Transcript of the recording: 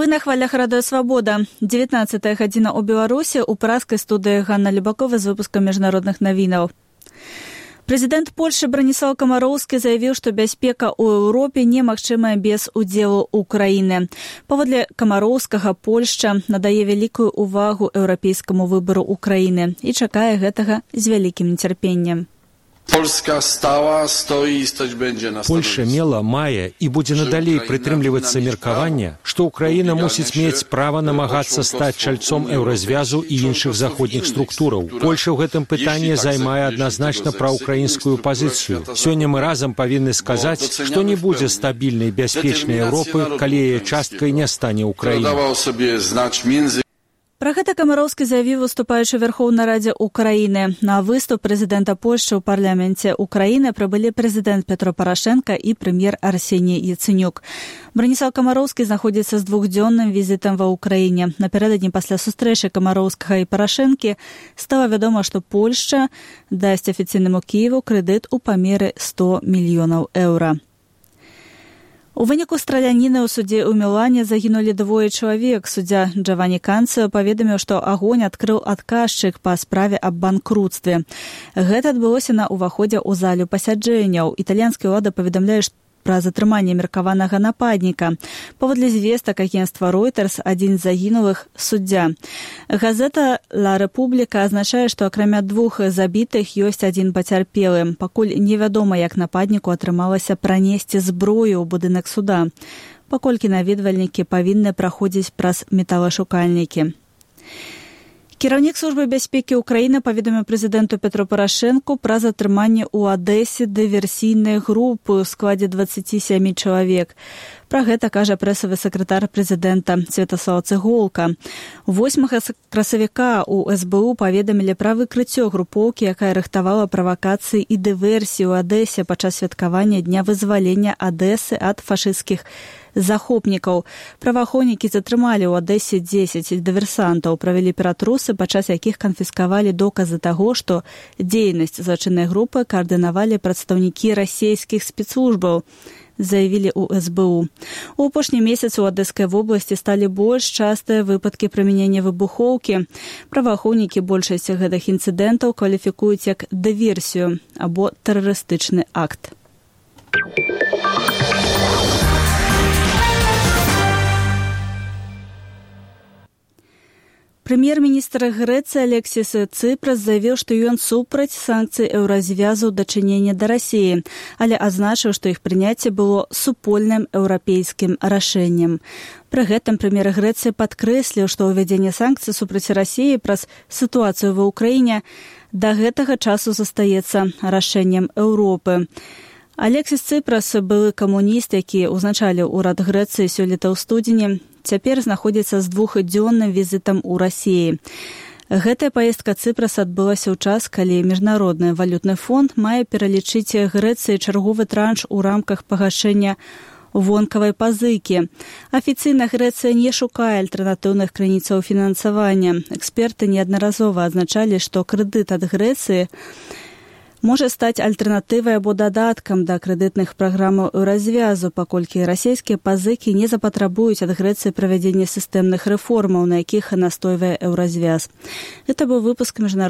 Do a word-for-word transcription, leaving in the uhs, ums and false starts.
Вы на хвалях Радыё Свабода. дзевятнаццатая гадзіна ў Беларусі, у пражскай студыі Ганна Любакова з выпускам міжнародных навінаў. Прэзідэнт Польшчы Браніслаў Камароўскі заявіў, што бяспека ў Еўропе немагчымая без удзелу Украіны. Паводле Камароўскага, Польшча надае вялікую ўвагу еўрапейскаму выбару Украіны і чакае гэтага з вялікім нецярпеннем. Польша мела, мае і будзе надалей прытрымлівацца меркавання, што Украіна мусіць мець права намагацца стаць чальцом еўразвязу і іншых заходніх структураў. Польша ў гэтым пытанні займае адназначна праўкраінскую пазіцыю. Сёння мы разам павінны сказаць, што не будзе стабільнай бяспечнай Еўропы, калі яе часткай не стане Украіна. Пра гэта Камароўскі заявіў, выступаючы ў Вярхоўнай радзе Украіны. На выступ прэзідэнта Польшчы ў парламенце Украіны прыбылі прэзідэнт Петро Парашенка і прэм'ер Арсеній Яцэнюк. Браніслаў Камароўскі знаходзіцца з двухдзённым візітам ва ўкраіне. Напярэдадні пасля сустрэчы Камароўскага і Парашэнкі стала вядома, што Польшча дасць афіцыйнаму Кіеву крэдыт у памеры сто мільёнаў еўра. У выніку страляніны ў судзе ў Мілане загінулі двое чалавек. Суддзя Джавані Канцыо паведаміў, што агонь адкрыў адказчык па справе аб банкруцтве. Гэта адбылося на ўваходзе ў залю пасяджэнняў. Італьянская ўлада паведамляе, што пра затрыманне меркаванага нападніка. Паводле звестак агенцтва Reuters, адзін з загінулых суддзя. Газета «Ла Рэпубліка» азначае, што акрамя двух забітых ёсць адзін пацярпелы. Пакуль невядома, як нападніку атрымалася пранесці зброю ў будынак суда, паколькі наведвальнікі павінны праходзіць праз металашукальнікі. Кіраўнік службы бяспекі ўкраіны паведаміў прэзідэнту Петру Парашэнку пра затрыманне ў Адэсе дыверсійнай групы ў складзе дваццаці сямі чалавек. Пра гэта кажа прэсавы сакратар прэзідэнта Святаслаў Цыголка. восьмага красавіка ў эс бэ у паведамілі пра выкрыццё групоўкі, якая рыхтавала правакацыі і дыверсіі ў Адэсе падчас святкавання дня вызвалення Адэсы ад фашысцкіх захопнікаў. Праваахоўнікі затрымалі ў Адэсе дзесяць дыверсантаў, правялі ператрусы, падчас якіх канфіскавалі доказы таго, што дзейнасць злачыннай групы каардынавалі прадстаўнікі расійскіх спецслужбаў, заявілі ў эс бэ у. У апошні месяц у Адэскай вобласці сталі больш частыя выпадкі прымянення выбухоўкі. Праваахоўнікі большасць гэтых інцыдэнтаў кваліфікуюць як дыверсію або тэрарыстычны акт. Прэм'ер-міністр Грэцыі Алексіс Цыпрас заявіў, што ён супраць санкцый еўразвязу ў дачыненні да Расіі, але адзначыў, што іх прыняцце было супольным еўрапейскім рашэннем. Пры гэтым прэм'ер Грэцыі падкрэсліў, што ўвядзенне санкцый супраць Расіі праз сітуацыю ва ўкраіне да гэтага часу застаецца рашэннем Еўропы. Алексіс Цыпрас, былы камуніст, які ўзначаліў урад Грэцыі сёлета ў студзені, цяпер знаходзіцца з двухдзённым візітам у Расіі. Гэтая паездка Цыпраса адбылася ў час, калі Міжнародны валютны фонд мае пералічыць Грэцыі чарговы транш у рамках пагашэння вонкавай пазыкі. Афіцыйна Грэцыя не шукае альтэрнатыўных крыніцаў фінансавання. Эксперты неаднаразова адзначалі, што крэдыт ад Грэцыі можа стаць альтэрнатывай або дадаткам да крэдытных праграмаў еўразвязу, паколькі расійскія пазыкі не запатрабуюць ад Грэцыі правядзення сістэмных рэформаў, на якіх настойвае еўразвяз. Гэта быў выпуск міжнародных